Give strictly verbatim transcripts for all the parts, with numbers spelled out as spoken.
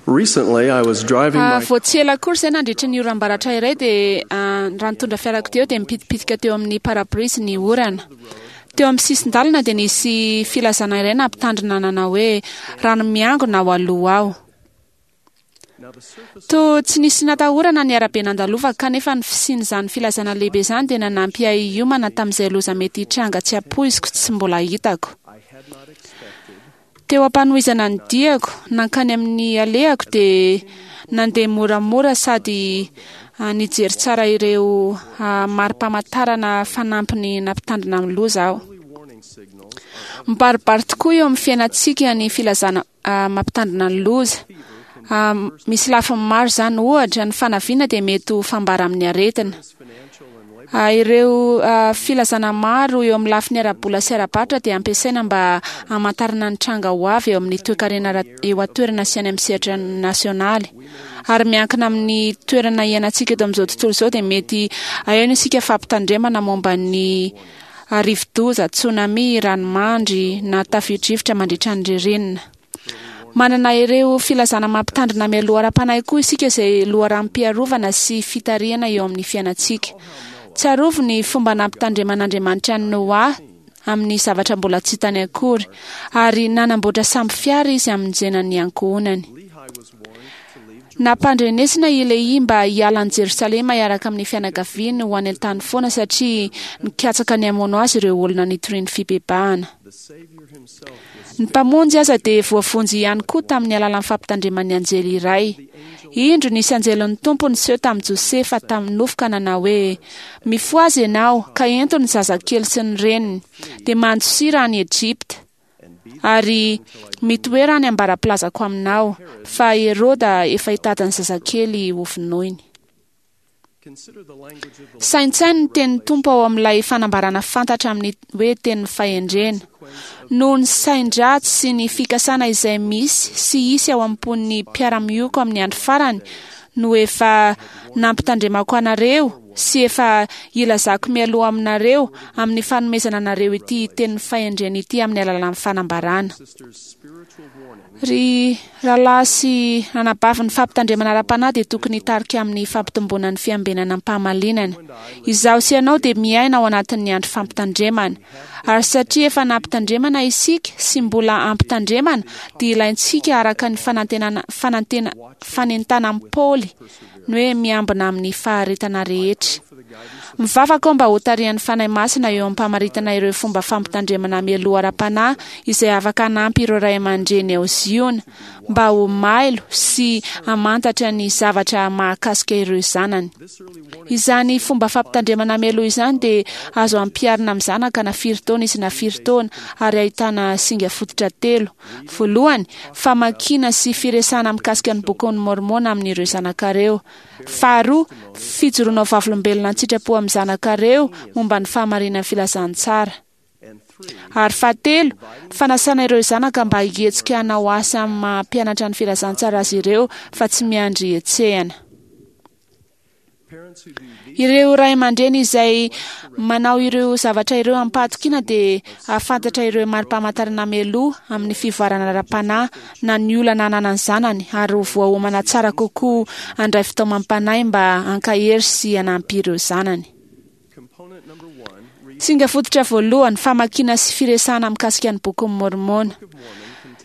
Recently, I was driving Ah, my vao tsy ela akory izay nandritra ny oram-baratra iray dia ah, raha nitondra fiarakodia eo dia mipitipitika teo amin'ny parabrise ny orana. Teo amin'ny sisin-dalana dia nisy filazana iray nampitandrina nanao hoe rano miangona ao aloha ao. Toa tsy nisy natahorana ny arabe nandalovako kanefa ny fisian'izany filazana lehibe izany dia nanampy ahy hiomana tamin'izay loza mety hitranga tsy ampoiziko tsy mbola hitako. Teo am-panohizana ny diako nankany amin'ny alehako dia nandeha moramora sady ah, nijery tsara ireo ah, mari-pamantarana fanampiny nampitandrina amin'ny loza aho. Mibaribary tokoa eo amin'ny fiainantsika ny filazana ah, mampitandrina ny loza. Ah, misy lafiny maro izany, ohatra ny fanaviana dia mety ho fambara amin'ny aretina. Ah, ireo ah, filazana maro eo amin'ny lafiny ara-bola sy ara-barotra dia ampiasaina mba hamantarana ny tranga ho avy eo amin'ny toekarena ara- eo an-toerana sy any amin'ny sehatra nasionaly. Ary miankina amin'ny toerana iainantsika eto amin'izao tontolo izao dia mety aheno isika fampitandremana momba ny ah, rivodoza, tsunami, ranomandry na tafio-drivotra mandritra ny ririnina. Manana ireo filazana mampitandrina mialoha ara-panahy koa isika izay loharanom-piarovana sy fitarihana eo amin'ny fiainantsika. Tsarovy ny fomba nampitandreman'Andriamanitra an'i Noa amin'ny zavatra mbola tsy hitany akory, ary nanamboatra sambo fiara izy hamonjena ny ankohonany. Nampandrenesina i Lehia mba hiala an'i Jerosalema hiaraka amin'ny fianakaviany ho any an-tany foana satria nikatsaka ny hamono azy ireo olona nitoriany fibebahana. Ny Mpamonjy aza dia voavonjy ihany koa tamin'ny alalan'ny fampitandreman'ny anjely iray. Indro nisy anjelin'ny Tompo niseho tamin'i Josefa tamin'ny nofy ka nanao hoe: "Mifohaza ianao ka ento ny zazakely sy ny reniny, dia mandosira any Egypta, ary mitoera any ambara-pilazako aminao, fa Heroda efa hitady ny zazakely hovonoiny." Saintsaino ny tenin'ny Tompo ao amin'ilay fanambarana fantatra amin'ny hoe tenin'ny fahendrena. Noho ny sain-dratsy sy ny fikasana izay misy sy hisy ao am-pon'ny mpiara-mioko amin'ny andro farany no efa nampitandremako anareo sy efa ilazako mialoha aminareo amin'ny fanomezana anareo ity tenin'ny fahendrena ity amin'ny alalan'ny fanambarana. Ry rahalahy sy anabavy, ny fampitandremana ara-panahy dia tokony hitarika amin'ny fampitomboana ny fiambenana am-pahamalinana. Izaho sy ianao dia miaina ao anatin'ny andro fampitandremana. Ary satria efa nampitandremana isika sy mbola ampitandremana, dia ilaintsika araka ny fanantenana fanantena fanentanan'i Paoly ny hoe miambina amin'ny faharetana rehetra. Mivavaka aho mba hotarihan'ny Fanahy Masina eo am-pamaritana ireo fomba fampitandremana mialoha ara-panahy izay afaka hanampy ireo ray aman-dreny ao Ziona mba ho mailo sy hamantatra ny zavatra mahakasika ireo zanany. Izany fomba fampitandremana mialoha izany dia azo ampiharina amin'ny zanaka na firy taona izy na firy taona ary ahitana singa fototra telo. Voalohany, famakiana sy firesahana mikasika ny Bokin'i Môrmôna amin'ireo zanakareo. Faharoa, fijoroana ho vavolombelona an-tsitrapo amin'ny zanakareo momba ny fahamarinan'ny filazantsara. Ary fahatelo, fanasana ireo zanaka mba hihetsika hanao asa amin'ny maha mpianatra ny filazantsara azy ireo fa tsy miandry hetsehana. Ireo ray aman-dreny izay manao ireo zavatra ireo amim-pahatokiana dia hahafantatra ireo mari-pamantarana mialoha amin'ny fivoarana ara-panahy na ny olana ananan'ny zanany ary ho voaomana tsara kokoa handray fitaomam-panahy mba hankahery sy hanampy ireo zanany. Singa fototra voalohany, famakiana sy firesahana mikasika ny Bokin'i Môrmôna.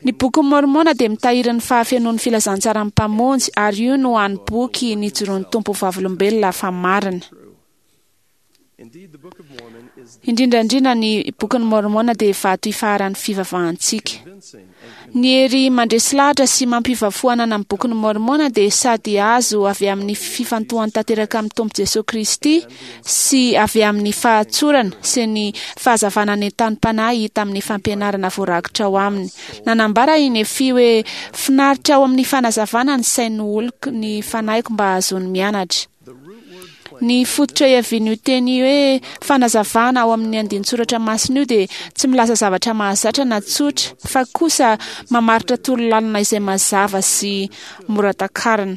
Ny Bokin'i Môrmôna dia mitahiry ny fahafenoan'ny filazantsaran'ny Mpamonjy ary io no hany boky nijoroan'ny Tompo ho vavolombelona fa marina. Indrindra indrindra ny Bokin'i Môrmôna dia vato ifaharan'ny fivavahantsika. Ny hery mandresy lahatra sy mampiova fo ananan'ny Bokin'i Môrmôna dia sady azo avy amin'ny fifantohany tanteraka amin'ny Tompo Jesoa Kristy sy avy amin'ny fahatsorana sy ny fahazavana nentanim-panahy hita amin'ny fampianarana voarakitra ao aminy. Nanambara i Nefia hoe: "Finaritra ao amin'ny fanazavana ny sain'ny oloko ny fanahiko mba hahazoany mianatra." Ny fototra iavian'io teny hoe fanazavana ao amin'ny andinin-tsoratra masina io dia tsy milaza zavatra mahazatra na tsotra, fa kosa mamaritra torolalana izay mazava sy mora takarina.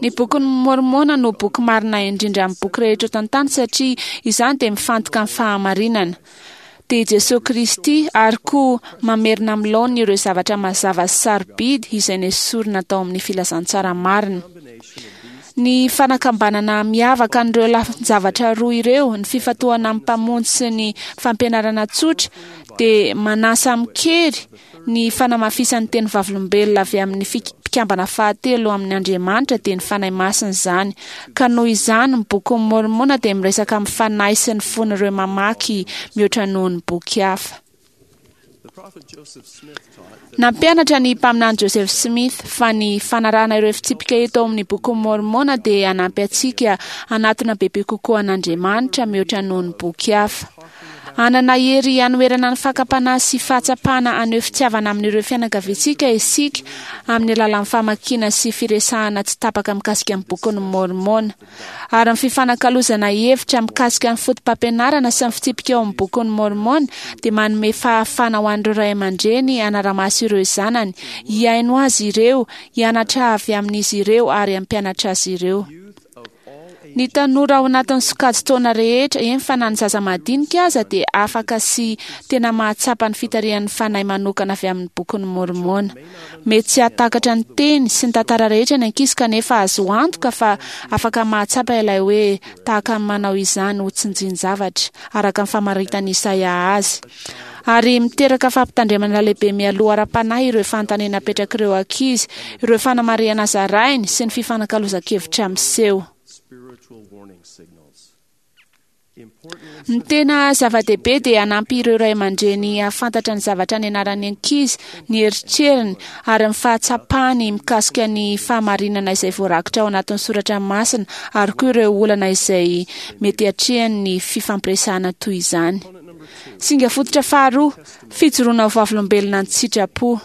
Ny Bokin'i Môrmôna no boky marina indrindra amin'ny boky rehetra eto an-tany satria izany dia mifantoka amin'ny fahamarinana. dia i Jesoa Kristy, ary koa mamerina amin'ny laoniny ireo zavatra mazava sy sarobidy izay nesorina tao amin'ny filazantsara marina. Ny fanakambanana miavaka an'ireo lafin-javatra roa ireo, ny fifantohana amin'ny Mpamonjy sy ny fampianarana tsotra, dia manasa amin-kery ny fanamafisan'ny teny vavolombelona avy amin'ny mpikambana fahatelo amin'ny Andriamanitra, dia ny Fanahy Masina izany. Ka noho izany, ny Bokin'i Môrmôna dia miresaka amin'ny fanahy sy ny fon'ireo mamaky mihoatra noho ny boky hafa. Nampianatra ny mpaminany Joseph Smith fa ny fanarahana ireo fitsipika eto amin'ny Bokin'i Môrmôna dia hanampy antsika hanatona bebe kokoa an'Andriamanitra mihoatra noho ny boky hafa. Hanana hery hanoherana ny fakam-panahy sy fahatsapana haneho fitiavana amin'ireo fianakaviantsika isika amin'ny alalan'ny famakiana sy firesahana tsy tapaka mikasika ny Bokin'i Môrmôna. Ary ny fifanakalozana hevitra mikasika ny fotopampianarana sy ny fitsipika ao amin'ny Bokin'i Môrmôna dia manome fahafahana ho an'ireo ray aman-dreny hanara-maso ireo zanany, hihaino azy ireo, hianatra avy amin'izy ireo ary hampianatra azy ireo. Ny tanora ao anatin'ny sokajin-taona rehetra, eny fa na ny zaza madinika aza, dia afaka sy tena mahatsapa ny fitarihan'ny Fanahy manokana avy amin'ny Bokin'i Môrmôna. Mety tsy hahatakatra ny teny sy ny tantara rehetra ny ankizy, kanefa azo antoka fa afaka mahatsapa ilay hoe tahaka ny manao izany ho tsinjin-javatra, araka ny famaritan'i Isaia azy. Ary miteraka fampitandremana lehibe mialoha ara-panahy ireo fanontaniana apetrak'ireo ankizy, ireo fanamarihana zarainy sy ny fifanakalozan-kevitra miseho. Ny tena zava-dehibe dia hanampy ireo ray aman-dreny hahafantatra ny zavatra nianaran'ny ankizy, ny eritreriny ary ny fahatsapany mikasika ny fahamarinana izay voarakitra ao anatin'ny soratra masina, ary koa ireo olana izay mety hatrehany ny fifampiresahana toy izany. Singa fototra faharoa, fijoroana ho vavolombelona an-tsitrapo.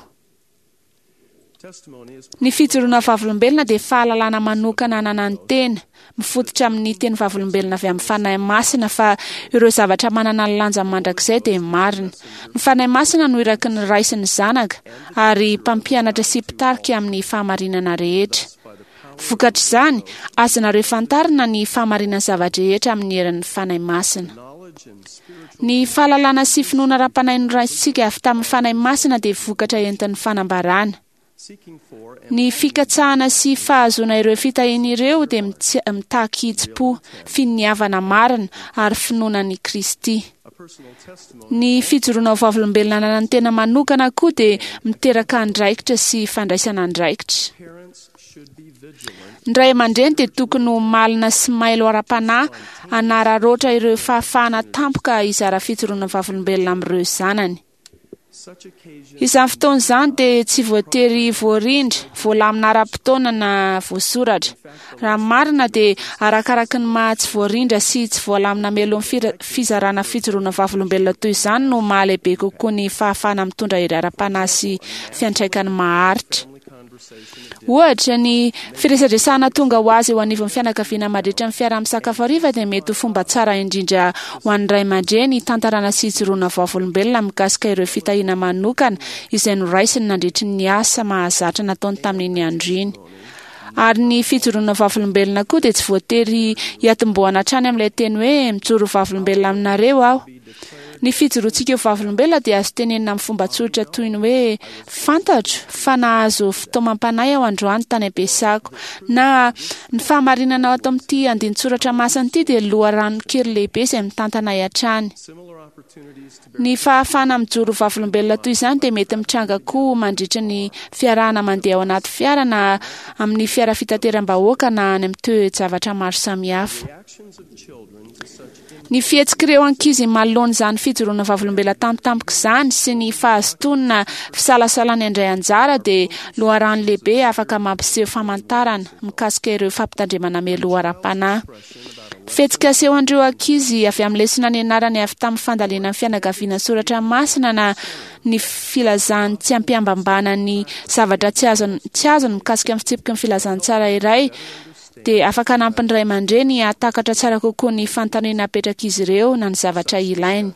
Ny fijoroana vavolombelona dia fahalalana manokana ananan'ny tena, mifototra amin'ny teny vavolombelona avy amin'ny Fanahy Masina fa ireo zavatra manana ny lanjany mandrakizay dia marina. Ny Fanahy Masina no iraky ny Ray sy ny Zanaka ary mpampianatra sy mpitarika amin'ny fahamarinana rehetra. Vokatr'izany, azonareo fantarina ny fahamarinan'ny zava-drehetra amin'ny herin'ny Fanahy Masina. Ny fahalalana sy finoana ara-panahy noraisintsika avy tamin'ny Fanahy Masina dia vokatra entin'ny fanambarana. Ny fikatsahana sy fahazoana ireo fitahiana ireo dia mitaky hitsim-po, finiavana marina ary finoana an'i Kristy. Ny fijoroana ho vavolombelona ananan'ny tena manokana koa dia miteraka andraikitra sy fandraisana andraikitra. Ny ray aman-dreny dia tokony ho malina sy mailo ara-panahy hanararaotra ireo fahafahana tampoka hizara fijoroana vavolombelona amin'ireo zanany. Izany fotoana izany dia tsy voatery voarindra, voalamina ara-potoana na voasoratra. Raha ny marina dia arakaraky ny maha tsy voarindra sy tsy voalamina mialoha ny fizarana fijoroana vavolombelona toy izany no mahalehibe kokoa ny fahafahana mitondra hery ara-panahy sy fiantraikany maharitra. Ohatra, ny firesadresahana tonga ho azy eo anivon'ny fianakaviana mandritra ny fiaraha-misakafo hariva dia mety ho fomba tsara indrindra ho an'ny ray aman-dreny hitantarana sy hijoroana vavolombelona mikasika ireo fitahiana manokana izay noraisiny nandritry ny asa mahazatra nataony tamin'iny andro iny. Ary ny fijoroana vavolombelona koa dia tsy voatery hiatombohana hatrany amin'ilay teny hoe mijoro vavolombelona aminareo aho. Ny fijoroantsika ho vavolombelona dia azo tenenina amin'ny fomba tsotra toy ny hoe fantatro fa nahazo fitaomam-panahy aho androany tany am-piasako, na ny fahamarinana ato amin'ity andinin-tsoratra masina ity dia loharanon-kery lehibe izay mitantana ahy hatrany. Ny fahafahana mijoro vavolombelona toy izany dia mety mitranga koa mandritra ny fiarahana mandeha ao anaty fiara na amin'ny fiara fitateram-bahoaka na any amin'ny toe-javatra maro samihafa. Ny fihetsik'ireo ankizy manoloana izany fijoroana vavolombelona tampotampoka izany sy ny fahazotoana fisalasalany handray anjara dia loharano lehibe afaka mampiseho famantarana mikasika ireo fampitandremana mialoha ara-panahy. Fihetsika asehon'ireo ankizy avy amin'ny lesona nianarany avy tamin'ny fandalinan'ny fianakaviana soratra masina na ny filazany tsy ampiambambana ny zavatra tsy azony tsy azony mikasika ny fitsipiky ny filazantsara iray dia afaka hanampy ny ray aman-dreny hahatakatra tsara kokoa ny fanontaniana apetrak'izy ireo na ny zavatra ilainy.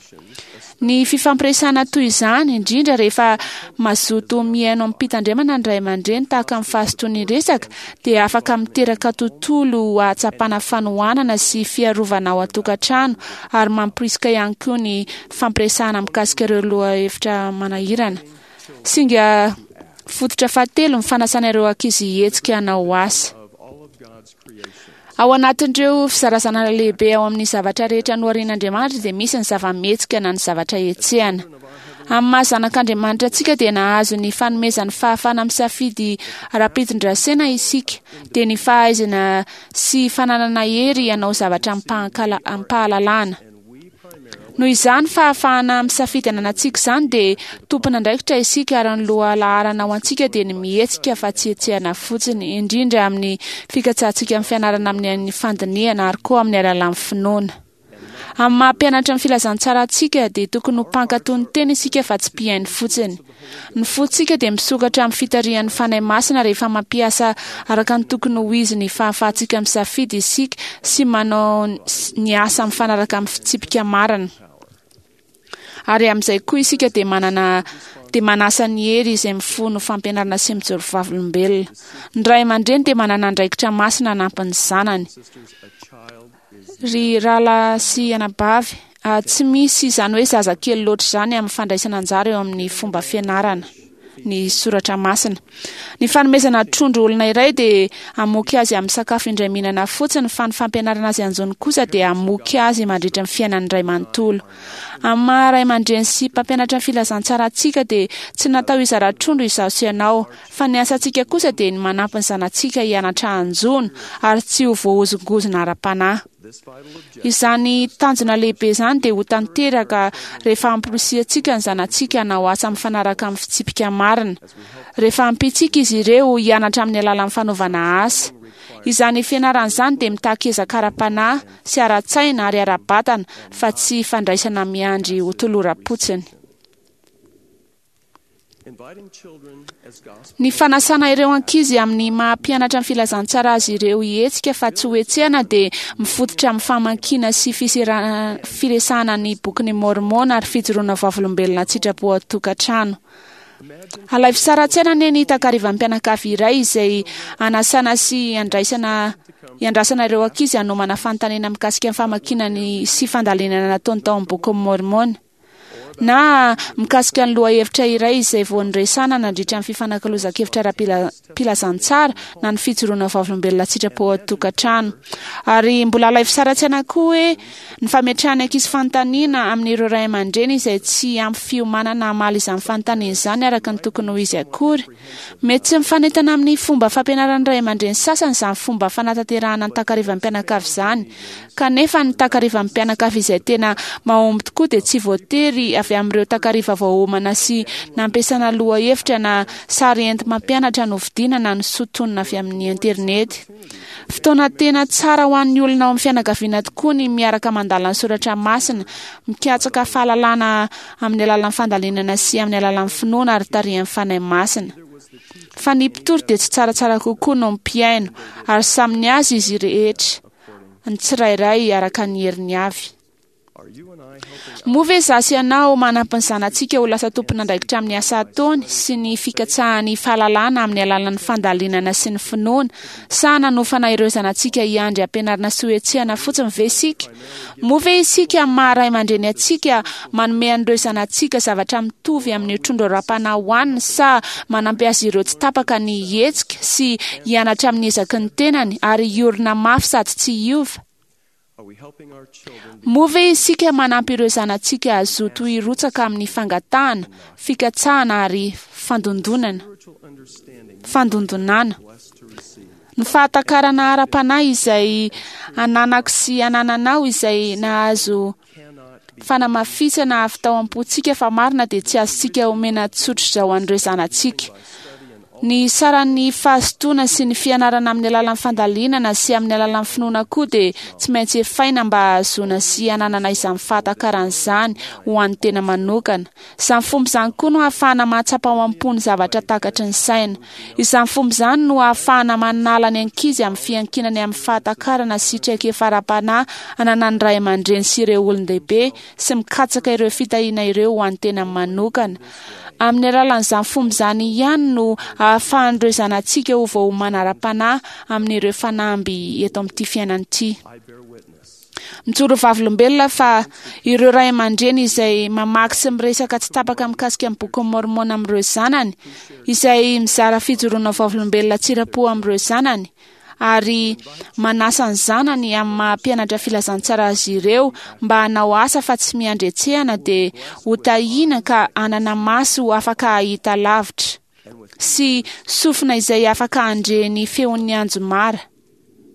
Ny fifampiresahana toy izany, indrindra rehefa mazoto mihaino amim-pitandremana ny ray aman-dreny tahaka amin'ny fahazotoany resaka, dia afaka miteraka tontolo hahatsapana fanohanana sy fiarovana ao an-tokantrano ary mamporisika ihany koa ny fampiresahana mikasika ireo lohahevitra manahirana. Singa fototra fahatelo ny fanasana ireo ankizy hihetsika hanao asa. Ao anatin'ireo fizarazana lehibe ao amin'ny zavatra rehetra noharian'Andriamanitra dia misy ny zava-mihetsika na ny zavatra hetsehana. Amin'ny maha zanak'Andriamanitra antsika dia nahazo ny fanomezan'ny fahafahana misafidy ara-pitondrasena isika, dia ny fahaizana sy fananana hery hanao zavatra amim-pahalalana. Noho izany fahafahana misafidy ananantsika izany dia tompon'andraikitra isika ary ny lohalaharana ho antsika dia ny mihetsika fa tsy hetsehana fotsiny, indrindra amin'ny fikatsahantsika amin'ny fianarana amin'ny fandinihana ary koa amin'ny alalan'ny finoana. Amin'ny maha mpianatra ny filazantsara antsika dia tokony ho mpankatò ny teny isika fa tsy mpihaino fotsiny. Ny fontsika dia misokatra amin'ny fitarihan'ny Fanahy Masina rehefa mampiasa araka ny tokony ho izy ny fahafahantsika misafidy isika sy manao ny asa mifanaraka amin'ny fitsipika marina. Ary amin'izay koa isika dia manana dia manasa ny hery izay mifono fampianarana sy mijoro vavolombelona. Ny ray aman-dreny dia manana andraikitra masina hanampy ny zanany. Ry rahalahy sy anabavy, tsy misy izany hoe zazakely loatra izany amin'ny fandraisana anjara eo amin'ny fomba fianarana ny soratra masina. Ny fanomezana trondro olona iray dia hamoky azy amin'ny sakafo indray mihinana fotsiny, fa ny fampianarana azy hanjono kosa dia hamoky azy mandritra ny fiainany iray manontolo. Amin'ny maha ray aman-dreny sy mpampianatra ny filazantsara antsika dia tsy natao hizara trondro izaho sy ianao, fa ny asantsika kosa dia ny manampy ny zanatsika hianatra hanjono ary tsy ho voahozongozona ara-panahy. Izany tanjona lehibe izany dia ho tanteraka rehefa amporisihantsika ny zanatsika hanao asa mifanaraka amin'ny fitsipika marina, rehefa ampiantsika izy ireo hianatra amin'ny alalan'ny fanaovana asa. Izany fianarana izany dia mitaky ezaka ara-panahy sy ara-tsaina ary ara-batana fa tsy fandraisana miandry ho toloram-potsiny. Ny fanasana ireo ankizy amin'ny maha mpianatra ny filazantsara azy ireo hihetsika fa tsy ho hetsehana dia mifototra amin'ny famakiana sy firesahana ny bokin'i Môrmôna ary fijoroana vavolombelona an-tsitrapo ao an-tokantrano. Alaivo sary an-tsaina anie ny takarivan'ny mpianakavy iray izay anasana sy andraisana iandrasana ireo ankizy hanomana fanontaniana mikasika ny famakiana ny sy fandalinana nataony tao amin'ny bokin'i Môrmôna, na mikasika ny lohahevitra iray izay vao noresahana nandritra ny fifanakalozan-kevitra ara-pilazantsara na ny fijoroana vavolombelona an-tsitrapo ao an-tokantrano. Ary mbola alaivo sary an-tsaina koa hoe ny fametrahana ankizy fanontaniana amin'ireo ray aman-dreny izay tsy ampy fiomanana hamaly izany fanontaniana izany araka ny tokony ho izy akory. Mety tsy mifanentana amin'ny fomba fampianaran'ny ray aman-dreny sasany izany fomba fanatanterahana ny takarivan'ny mpianakavy izany. Kanefa ny takarivan'ny mpianakavy izay tena mahomby tokoa dia tsy voatery avy amin'ireo takariva voaomana sy nampiasana lohahevitra na sary enti-mampianatra novidiana na nosintonina avy amin'ny internety. Fotoana tena tsara ho an'ny olona ao amin'ny fianakaviana tokoa ny miaraka mandala ny soratra masina, mikatsaka fahalalana amin'ny alalan'ny fandalinana sy amin'ny alalan'ny finoana ary tarihan'ny Fanahy Masina. Fa ny mpitory dia tsy tsaratsara kokoa noho ny mpihaino, ary samy ny azy izy rehetra, ny tsirairay araka ny heriny avy. Moa ve izaho sy ianao manampy ny zanatsika ho lasa tompon'andraikitra amin'ny asa ataony sy ny fikatsahany fahalalana amin'ny alalan'ny fandalinana sy ny finoana, sa nanofana ireo zanatsika hiandry ampianarina sy hohetsehana fotsiny ve isika? Moa ve isika amin'ny maha ray aman-dreny antsika manome an'ireo zanatsika zavatra mitovy amin'ny trondro ara-panahy hohaniny, sa manampy azy ireo tsy tapaka ny hihetsika sy hianatra amin'ny ezaky ny tenany ary hiorina mafy sady tsy hiova? Moa ve isika manampy ireo zanatsika hazoto hirotsaka amin'ny fangatahana, fikatsahana ary fandondonana? Fandondonana. Ny fahatakarana ara-panahy izay ananako sy anananao izay nahazo fanamafisana avy tao am-pontsika fa marina dia tsy azontsika omena tsotr'izao an'ireo zanatsika. Ny saran'ny fahazotoana sy ny fianarana amin'ny alalan'ny fandalinana sy amin'ny alalan'ny finoana koa dia tsy maintsy efaina mba hahazoana sy hananana izany fahatakarana izany ho an'ny tena manokana. Izany fomba izany koa no ahafahana mahatsapa ao am-po ny zavatra takatry ny saina. Izany fomba izany no ahafahana manala ny ankizy amin'ny fiankinany amin'ny fahatakarana sy traikefa ara-panahy ananan'ny ray aman-dreny sy ireo olon-dehibe sy mikatsaka ireo fitahiana ireo ho an'ny tena manokana. Amin'ny alalan'izany fomba izany ihany no ahafahan'ireo zanatsika ho voaomana ara-panahy amin'ireo fanamby eto amin'ity fiainana ity. I bear witness Mijoro vavolombelona fa ireo ray aman-dreny izay mamaky sy miresaka tsy tapaka mikasika ny bokin'ny Môrmôna amin'ireo zanany, izay mizara fijoroana vavolombelona tsirapo amin'ireo zanany, ary manasa ny zanany amin'ny maha mpianatra filazantsara azy ireo mba hanao asa fa tsy miandry hetsehana dia ho tahiana ka hanana maso afaka hahita lavitra sy sofina izay afaka handre ny feon'ny anjomara.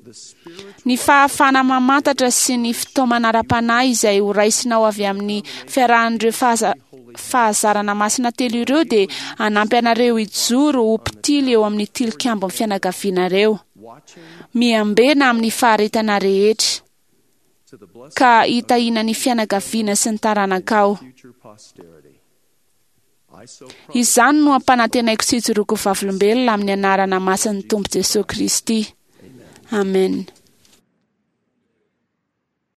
the spiritual Ny fahafahana mamantatra sy ny fitaomana ara-panahy izay ho raisinao avy amin'ny fiarahan'ireo fahaza- fahazarana masina telo ireo dia hanampy anareo hijoro ho mpitily eo amin'ny tilikambon'ny fianakavianareo. watching Miambena amin'ny faharetana rehetra to the blessing ka hitahiana ny fianakaviana sy ny taranakao. future posterity. I so promise Izany no ampanantenaiko sy hijoroako vavolombelona amin'ny anarana masin'ny Tompo Jesoa Kristy. Amen.